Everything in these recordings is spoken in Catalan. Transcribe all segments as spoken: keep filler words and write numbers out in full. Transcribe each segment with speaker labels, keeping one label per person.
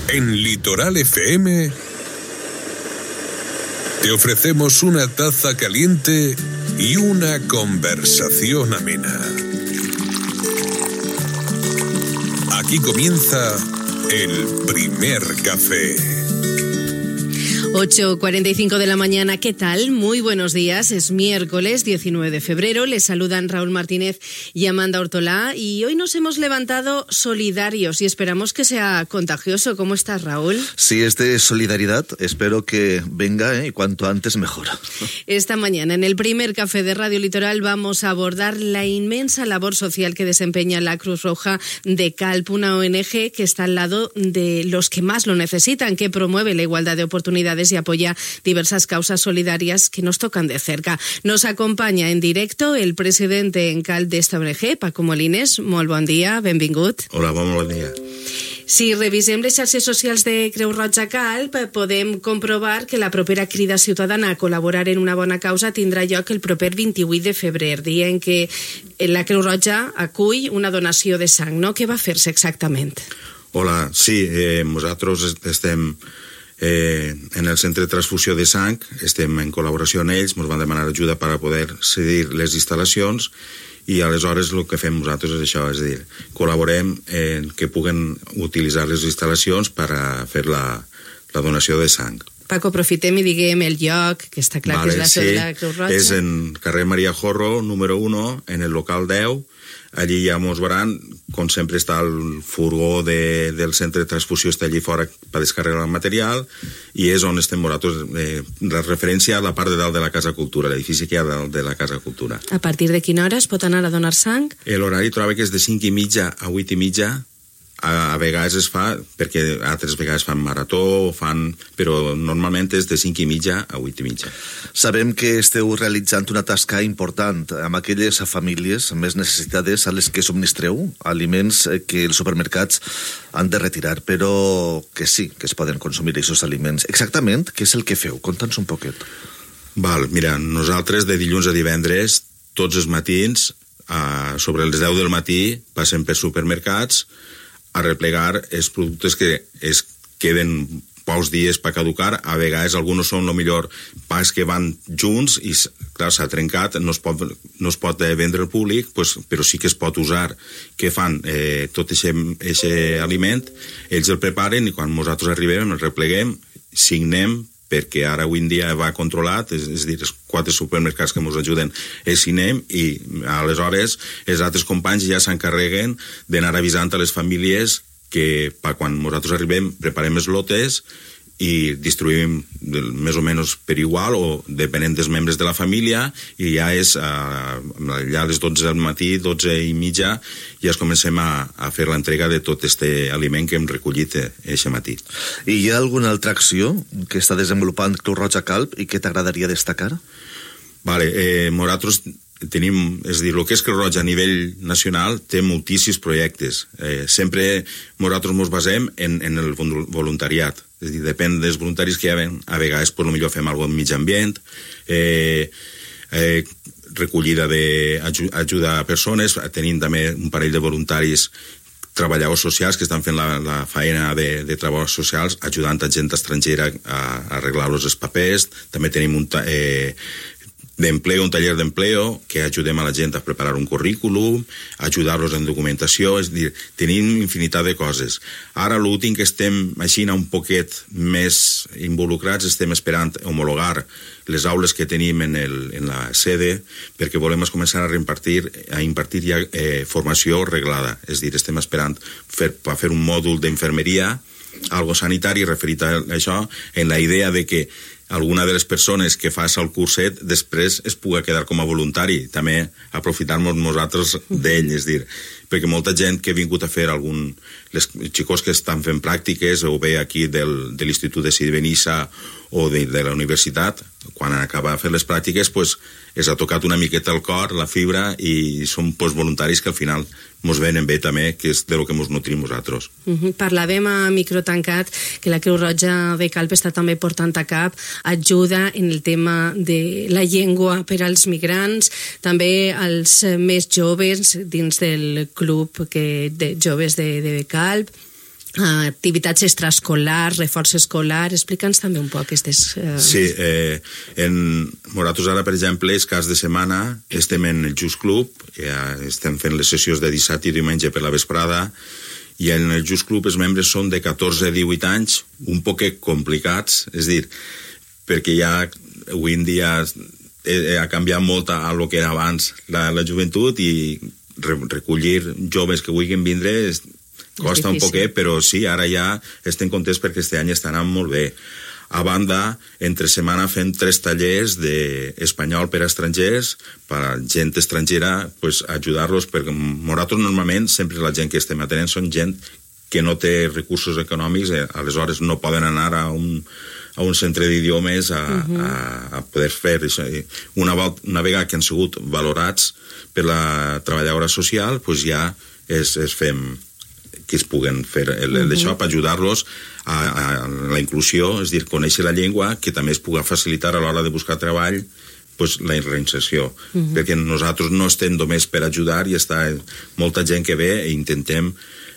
Speaker 1: En Litoral F M te ofrecemos una taza caliente y una conversación amena. Aquí comienza el primer café.
Speaker 2: ocho cuarenta y cinco de la mañana, ¿qué tal? Muy buenos días, es miércoles diecinueve de febrero, les saludan Raúl Martínez y Amanda Ortolá y hoy nos hemos levantado solidarios y esperamos que sea contagioso. ¿Cómo estás, Raúl?
Speaker 3: Sí, es de solidaridad, espero que venga ¿eh? y cuanto antes mejor.
Speaker 2: Esta mañana en el primer café de Radio Litoral vamos a abordar la inmensa labor social que desempeña la Cruz Roja de Calp, una O N G que está al lado de los que más lo necesitan, que promueve la igualdad de oportunidades y apoya diversas causas solidarias que nos tocan de cerca. Nos acompaña en directo el presidente en Calp d'esta O N G, Paco Molines. Molt bon dia, benvingut.
Speaker 4: Hola, bon bon dia.
Speaker 2: Si revisem les xarxes socials de Creu Roja Calp, podem comprovar que la propera crida ciutadana a col·laborar en una bona causa tindrà lloc el proper vint-i-vuit de febrer, dia en què la Creu Roja acull una donació de sang, no? Què va fer-se exactament?
Speaker 4: Hola, sí, eh, nosaltres estem eh, en el centre de transfusió de sang, estem en col·laboració amb ells, ens van demanar ajuda per a poder cedir les instal·lacions i aleshores el que fem nosaltres és això, és a dir, col·laborem en que puguen utilitzar les instal·lacions per a fer la, la donació de sang.
Speaker 2: Paco, aprofitem i diguem el lloc, que està clar vale, que és la seu sí, de la Creu Roja.
Speaker 4: És en carrer Maria Jorro, número uno, en el local deu. Allí ja mos veuran, com sempre està el furgó de, del centre de transfusió, està allí fora per descarregar el material, i és on estem nosaltres, eh, la referència a la part de dalt de la Casa Cultura, l'edifici que hi ha dalt de la Casa Cultura.
Speaker 2: A partir de quina hora es pot anar a donar sang?
Speaker 4: L'horari trobo que és de cinc i mitja a vuit i mitja, a, a vegades es fa, perquè altres vegades fan marató, fan, però normalment és de cinc i mitja a vuit i mitja.
Speaker 3: Sabem que esteu realitzant una tasca important amb aquelles famílies més necessitades a les que subministreu aliments que els supermercats han de retirar, però que sí, que es poden consumir aquests aliments. Exactament, què és el que feu? Conta'ns un poquet.
Speaker 4: Val, mira, nosaltres de dilluns a divendres, tots els matins, a, sobre les deu del matí, passem per supermercats a replegar els productes que es queden pocs dies per caducar. A vegades alguns són el millor pas que van junts i clar, s'ha trencat, no es pot, no es pot vendre al públic, pues, però sí que es pot usar. Què fan? Eh, tot aquest aliment ells el preparen i quan nosaltres arribem el repleguem, signem, perquè ara avui en dia va controlat, és, és a dir, els quatre supermercats que ens ajuden els signem i aleshores els altres companys ja s'encarreguen d'anar avisant a les famílies que per quan nosaltres arribem preparem els lotes i distribuïm més o menys per igual o depenent dels membres de la família i ja és uh, ja a les dotze del matí, dotze i mitja ja es comencem a, a fer l'entrega de tot aquest aliment que hem recollit aquest matí.
Speaker 3: I hi ha alguna altra acció que està desenvolupant Creu Roja Calp i que t'agradaria destacar?
Speaker 4: Vale, eh, nosaltres tenim, és a dir, el que és Creu Roja a nivell nacional té moltíssims projectes. Eh, sempre nosaltres ens basem en, en el voluntariat. És a dir, depèn dels voluntaris que hi ha, a vegades per millor fem alguna cosa en mig ambient, eh, eh, recollida d'ajuda a persones, tenim també un parell de voluntaris treballadors socials que estan fent la, la feina de, de treballadors socials ajudant a gent estrangera a, a arreglar-los els papers. També tenim un eh, d'empleo, un taller d'empleo, que ajudem a la gent a preparar un currículum, ajudar-los en documentació, és a dir, tenim infinitat de coses. Ara l'últim que estem així un poquet més involucrats, estem esperant homologar les aules que tenim en, el, en la sede, perquè volem començar a reimpartir, a impartir ja eh, formació reglada, és a dir, estem esperant fer, per fer un mòdul d'infermeria, algo sanitari referit a això, en la idea de que alguna de les persones que fa el curset després es pugui quedar com a voluntari, també aprofitar-nos nosaltres d'ell, és dir, perquè molta gent que ha vingut a fer algun... Les xicos que estan fent pràctiques o bé aquí del, de l'Institut de Benissa o de, de la universitat, quan acaba de fer les pràctiques, pues, es ha tocat una miqueta el cor, la fibra, i són pues, voluntaris que al final mos venen bé també, que és de lo que mos nutrim nosaltres.
Speaker 2: Uh-huh. Parlàvem a micro tancat que la Creu Roja de Calp està també portant a cap ajuda en el tema de la llengua per als migrants, també als més joves dins del club que, de joves de, de Calp. activitats extraescolars, reforç escolar. Explica'ns també un poc aquestes... Eh...
Speaker 4: Sí, eh, en Moratos ara, per exemple, els caps de setmana estem en el Just Club, ja estem fent les sessions de dissabte i diumenge per la vesprada, i en el Just Club els membres són de catorze a divuit anys, un poc complicats, és dir, perquè ja avui en dia ha canviat molt a lo que era abans la, la joventut, i recollir joves que vulguin vindre és, costa un poquet, però sí, ara ja estem contents perquè este any està anant molt bé. A banda, entre setmana fem tres tallers d'espanyol per a estrangers, per a gent estrangera, pues, ajudar-los, perquè Moratos normalment, sempre la gent que estem atenent són gent que no té recursos econòmics, eh, aleshores no poden anar a un, a un centre d'idiomes a, uh-huh. a, a poder fer això. Una, una vegada que han sigut valorats per la treballadora social, pues ja es, es fem que es puguen fer el, el d'això per ajudar-los a, a la inclusió, és dir, conèixer la llengua, que també es pugui facilitar a l'hora de buscar treball, pues, la reinserció. Uh-huh. Perquè nosaltres no estem només per ajudar, i està molta gent que ve i intentem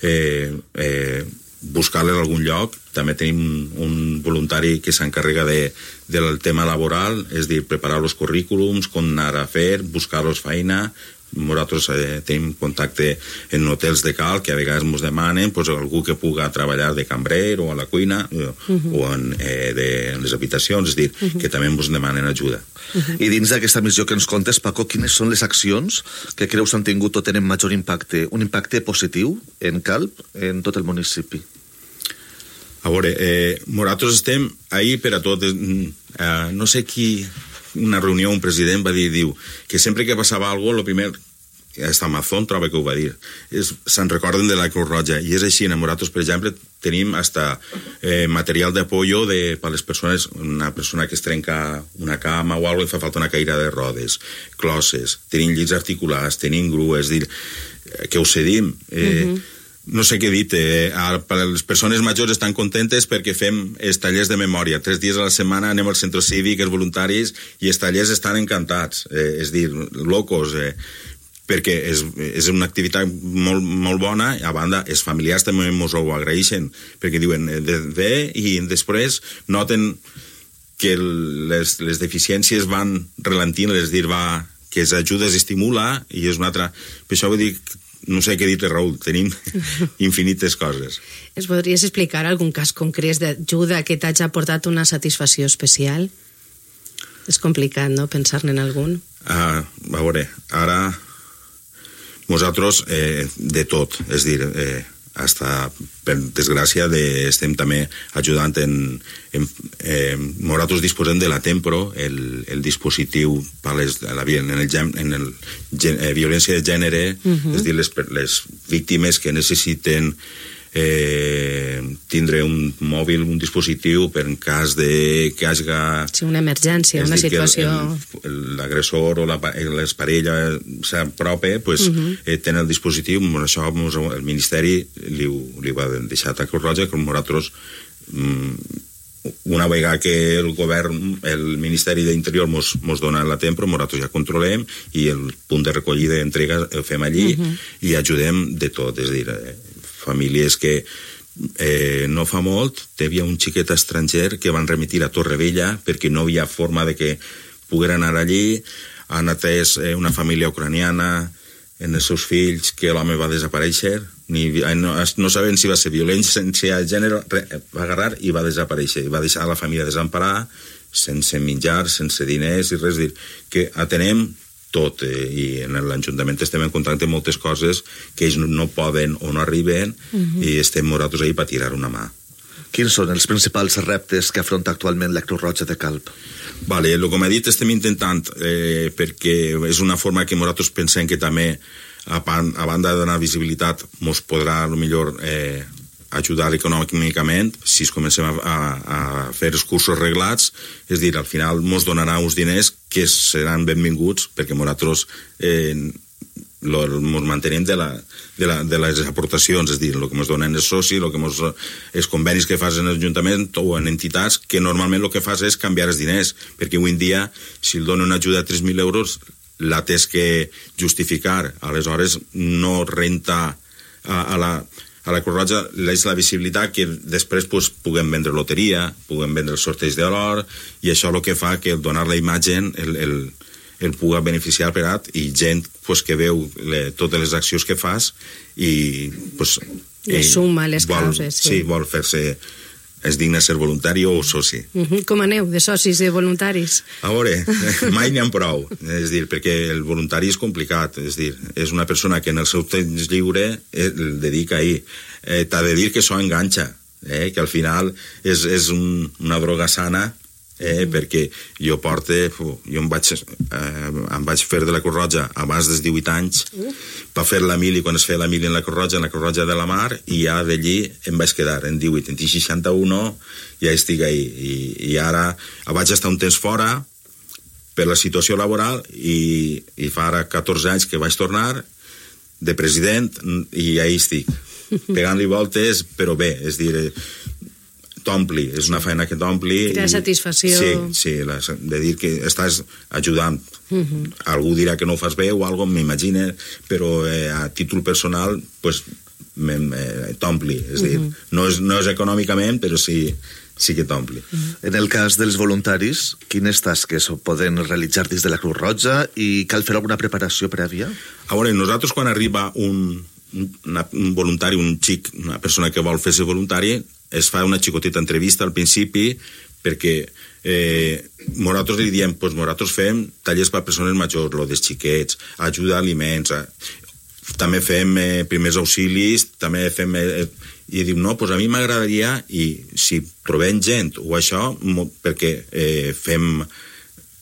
Speaker 4: eh, eh, buscar-les a algun lloc. També tenim un voluntari que s'encarrega de, del tema laboral, és dir, preparar els currículums, com anar a fer, buscar-los feina. Nosaltres eh, tenim contacte en hotels de cal que a vegades ens demanen, pues, algú que puga treballar de cambrer o a la cuina, eh, uh-huh. o en, eh, de, en les habitacions, és dir, uh-huh. que també ens demanen ajuda.
Speaker 3: Uh-huh. I dins d'aquesta missió que ens contes, Paco, quines són les accions que creus han tingut o tenen major impacte, un impacte positiu en Calp, en tot el municipi?
Speaker 4: A veure, eh, nosaltres estem ahí per a tot. Eh, no sé qui... una reunió, un president va dir, diu, que sempre que passava alguna cosa, el primer, hasta Amazon troba que ho va dir, se'n recorden de la Cruz Roja, i és així. En Moratos, per exemple, tenim hasta eh, material d'apoyo de, per les persones, una persona que es trenca una cama o alguna cosa, fa falta una caïra de rodes, closses, tenim llits articulats, tenim grues, dir, que ho cedim, eh, uh-huh. no sé què dir, eh, les persones majors estan contentes perquè fem els tallers de memòria. Tres dies a la setmana anem al centre cívic, els voluntaris, i els tallers estan encantats, eh, és dir, locos, eh, perquè és, és una activitat molt, molt bona. A banda, els familiars també ens ho agraeixen, perquè diuen, de, de, i després noten que les, les deficiències van relentint, és dir, va, que les ajudes estimula, i és una altra... Per això vull dir, no sé què dir-te, Raül, tenim infinites coses.
Speaker 2: Ens podries explicar algun cas concret d'ajuda que t'hagi aportat una satisfacció especial? És complicat, no?, pensar-ne en algun.
Speaker 4: Uh, a veure, ara nosaltres eh, de tot, és dir, eh, hasta, per desgràcia, de, estem també ajudant en... en eh, nosaltres disposem de la Tempro, el, el dispositiu per les, la, en el, en el eh, violència de gènere, uh-huh. és dir, les, les víctimes que necessiten eh, tindre un mòbil, un dispositiu per en cas de que hagi...
Speaker 2: Sí, una emergència, una situació...
Speaker 4: L'agressor o la, les parelles s'apropa, pues, uh-huh. eh, tenen el dispositiu. Això el Ministeri li, li va deixar a Cruz Roja, que nosaltres, una vegada que el govern, el Ministeri d'Interior mos, mos dona la Tempro, nosaltres ja controlem, i el punt de recollida d'entrega el fem allí, uh-huh. i ajudem de tot, és dir, eh, famílies que eh, no fa molt hi havia un xiquet estranger que van remitir a Torrevella perquè no havia forma de que pogueren anar allí. Han atès eh, una família ucraniana en els seus fills, que l'home va desaparèixer, ni, no, no sabem si va ser violència de gènere, va agarrar i va desaparèixer, i va deixar la família desemparada, sense menjar, sense diners i res, dir, que atenem tot, eh, i en l'Ajuntament estem en contacte amb moltes coses que ells no poden o no arriben, uh-huh. i estem nosaltres ahí per tirar una mà.
Speaker 3: Quins són els principals reptes que afronta actualment la Cruz Roja de Calp?
Speaker 4: Vale, el que m'ha dit estem intentant, eh, perquè és una forma que nosaltres pensem que també, a, pan, a banda de donar visibilitat, mos podrà a lo millor eh, ajudar econòmicament si es comencem a, a, a fer els cursos reglats, és dir, al final mos donarà uns diners que seran benvinguts, perquè nosaltres eh, lo, mos mantenim de, la, de, la, de les aportacions, és dir, el que ens donen els socis, el que mos, els convenis que fas en l'Ajuntament o en entitats, que normalment el que fas és canviar els diners, perquè avui en dia, si el dona una ajuda de tres mil euros, la tens que justificar, aleshores no renta a, a la... a la Creu Roja és la visibilitat que després pues, puguem vendre loteria, puguem vendre el sorteig de l'or, i això el que fa que donar la imatge el, el, el pugui beneficiar per at, i gent pues, que veu le, totes les accions que fas i pues,
Speaker 2: eh, suma les
Speaker 4: vol,
Speaker 2: causes. Sí,
Speaker 4: sí vol fer-se, és digne ser voluntari o soci.
Speaker 2: Uh -huh. Com aneu de socis i voluntaris?
Speaker 4: A veure, mai n'hi ha prou, és dir, perquè el voluntari és complicat, és dir, és una persona que en el seu temps lliure el dedica ahir. Eh, T'ha de dir que això enganxa, eh, que al final és, és un, una droga sana, eh, mm. perquè jo porte, jo em vaig, eh, em vaig fer de la Creu Roja abans dels divuit anys, uh. per fer la mili, quan es feia la mili en la Creu Roja, en la Creu Roja de la Mar, i ja d'allí em vaig quedar en divuit, en seixanta-u ja estic ahí, i, i ara vaig estar un temps fora per la situació laboral, i, i fa ara catorze anys que vaig tornar de president, i ahí estic, pegant-li voltes, però bé, és dir, t'ompli, és una feina que t'ompli.
Speaker 2: Crea satisfacció.
Speaker 4: Sí, sí, la, de dir que estàs ajudant. Uh -huh. Algú dirà que no ho fas bé o alguna cosa, m'imagina, però eh, a títol personal, pues, eh, t'ompli. És uh -huh. dir, no és, no és econòmicament, però sí, sí que t'ompli. Uh -huh.
Speaker 3: En el cas dels voluntaris, quines tasques poden realitzar dins de la Creu Roja i cal fer alguna preparació prèvia?
Speaker 4: A veure, nosaltres quan arriba un, un, un voluntari, un xic, una persona que vol fer-se voluntari, es fa una xicoteta entrevista al principi, perquè eh, nosaltres li diem, pues nosaltres fem tallers per a persones majors, lo dels xiquets, ajuda a aliments, a, també fem eh, primers auxilis, també fem... Eh, i diu, no, pues a mi m'agradaria, i si trobem gent o això, perquè eh, fem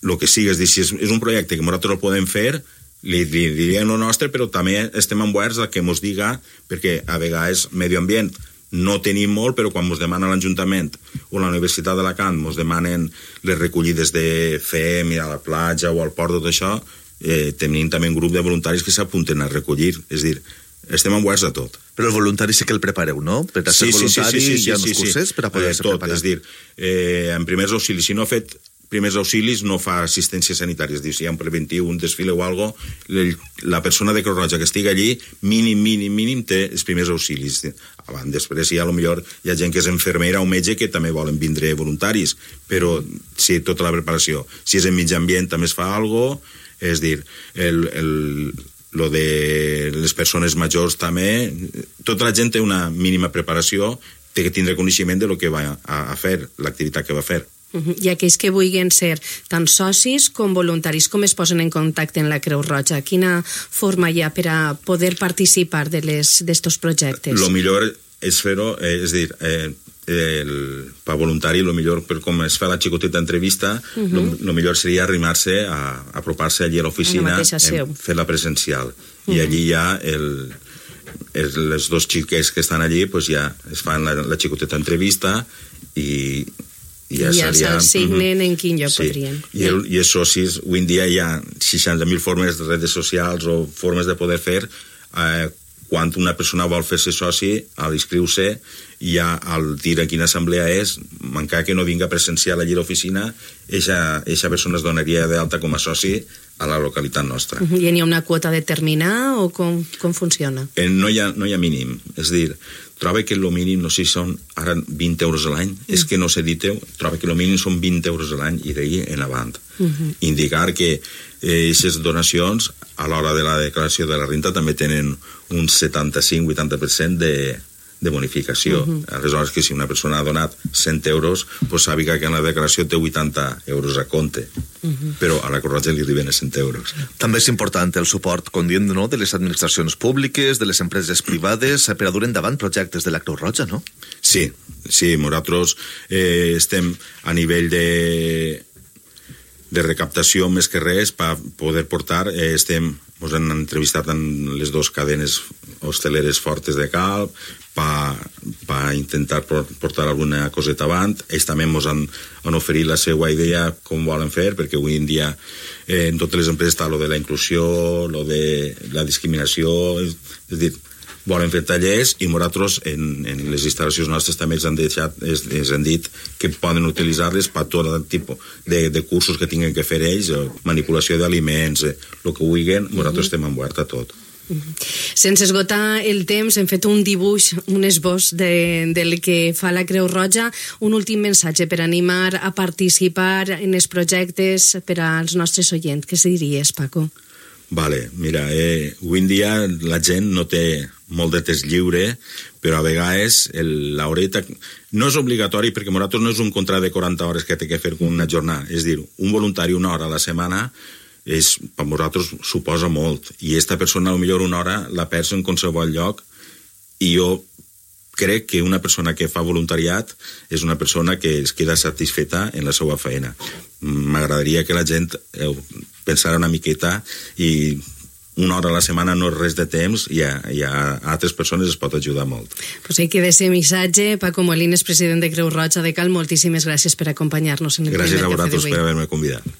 Speaker 4: el que sigui, és dir, si és, és un projecte que nosaltres el podem fer, li, li diríem el nostre, però també estem oberts a que mos diga, perquè a vegades medi ambient no tenim molt, però quan ens demana l'Ajuntament o la Universitat d'Alacant ens demanen les recollides de fer a la platja o al port, tot això, eh, tenim també un grup de voluntaris que s'apunten a recollir, és dir, estem oberts a tot.
Speaker 3: Però els voluntaris sí que el prepareu, no? Per a ser
Speaker 4: sí,
Speaker 3: voluntari
Speaker 4: sí, sí, sí, sí,
Speaker 3: hi ha
Speaker 4: sí,
Speaker 3: uns cursets
Speaker 4: sí.
Speaker 3: per a poder-se
Speaker 4: eh, tot,
Speaker 3: preparar.
Speaker 4: És dir, eh, en primers auxilis, si no ha fet primers auxilis, no fa assistència sanitària, és dir, si hi ha un preventiu, un desfile o alguna cosa, la persona de Creu Roja que estigui allí, mínim, mínim, mínim, té els primers auxilis. Abans, després hi ha, millor, hi ha gent que és infermera o metge que també volen vindre voluntaris, però sí, tota la preparació. Si és en mig ambient també es fa alguna cosa, és dir, el... el lo de les persones majors també, tota la gent té una mínima preparació, té que tindre coneixement de lo que va a, a fer, l'activitat que va a fer.
Speaker 2: Uh-huh. I aquells que vulguin ser tant socis com voluntaris, com es posen en contacte en la Creu Roja? Quina forma hi ha per a poder participar d'estos projectes?
Speaker 4: Lo millor és fer-ho, eh, és dir, eh, el, per voluntari, el millor, per com es fa la xicoteta entrevista, el uh-huh. lo millor seria arrimar-se, a, a apropar-se allí a l'oficina, fer-la presencial. Uh-huh. I allí ja el, els, els dos xiquets que estan allí pues ja es fan la, la xicoteta entrevista i i ja,
Speaker 2: ja se'ls signen uh-huh. en quin lloc
Speaker 4: sí.
Speaker 2: podrien.
Speaker 4: I, el, I els socis, avui en dia hi ha seixanta mil formes de redes socials o formes de poder fer. Eh, quan una persona vol fer-se soci, a l'inscriure-se, ja al dir a quina assemblea és, encara que no vinga presencial allí a l'oficina, aquesta persona es donaria d'alta com a soci a la localitat nostra.
Speaker 2: Uh-huh. I n'hi ha una quota determinada o com, com funciona?
Speaker 4: Eh, no, hi ha, no hi ha mínim, és dir, troba que el mínim, no sé si són ara vint euros a l'any, mm. és que no sé dir-ho, troba que el mínim són vint euros a l'any i d'ahir en avant. Uh-huh. Indicar que aquestes eh, donacions a l'hora de la declaració de la renta també tenen un setanta-cinc a vuitanta per cent de, de bonificació. Uh-huh. Aleshores, que si una persona ha donat cent euros, pues sàpiga que en la declaració té vuitanta euros a compte. Uh-huh. Però a la Creu Roja li arriben a cent euros.
Speaker 3: També és important el suport, com diem, no?, de les administracions públiques, de les empreses privades, per a dur endavant projectes de la Creu Roja, no?
Speaker 4: Sí, sí, nosaltres eh, estem a nivell de de recaptació més que res per poder portar, eh, estem, ens han entrevistat en les dues cadenes hosteleres fortes de Calp per intentar portar alguna coseta avant. Ells també ens han, han oferit la seva idea com volen fer, perquè avui en dia eh, en totes les empreses està lo de la inclusió, lo de la discriminació, és, és dir, volen fer tallers i nosaltres en, en les instal·lacions nostres també ens han, deixat, ens, ens han dit que poden utilitzar-les per tot tipus de, de cursos que tinguin que fer ells, manipulació d'aliments, el que vulguin, nosaltres estem oberts a tot.
Speaker 2: Sense esgotar el temps, hem fet un dibuix, un esbós de, del que fa la Creu Roja. Un últim missatge per animar a participar en els projectes per als nostres oients. Què diries, Paco?
Speaker 4: Vale, mira, eh, avui en dia la gent no té molt de temps lliure, però a vegades el, la horeta no és obligatori, perquè nosaltres no és un contracte de quaranta hores que té que fer una jornada, és dir, un voluntari una hora a la setmana és, per nosaltres suposa molt, i esta persona potser una hora la perds en qualsevol lloc, i jo crec que una persona que fa voluntariat és una persona que es queda satisfeta en la seva feina. M'agradaria que la gent eh, pensara una miqueta, i una hora a la setmana no és res de temps, i a, i a altres persones es pot ajudar molt.
Speaker 2: Pues ahí queda ese missatge. Paco Molines, president de Creu Roja de Cal, moltíssimes gràcies per acompanyar-nos en el
Speaker 4: Gràcies
Speaker 2: primer
Speaker 4: a
Speaker 2: cafè
Speaker 4: vosaltres
Speaker 2: d'avui.
Speaker 4: per haver-me convidat.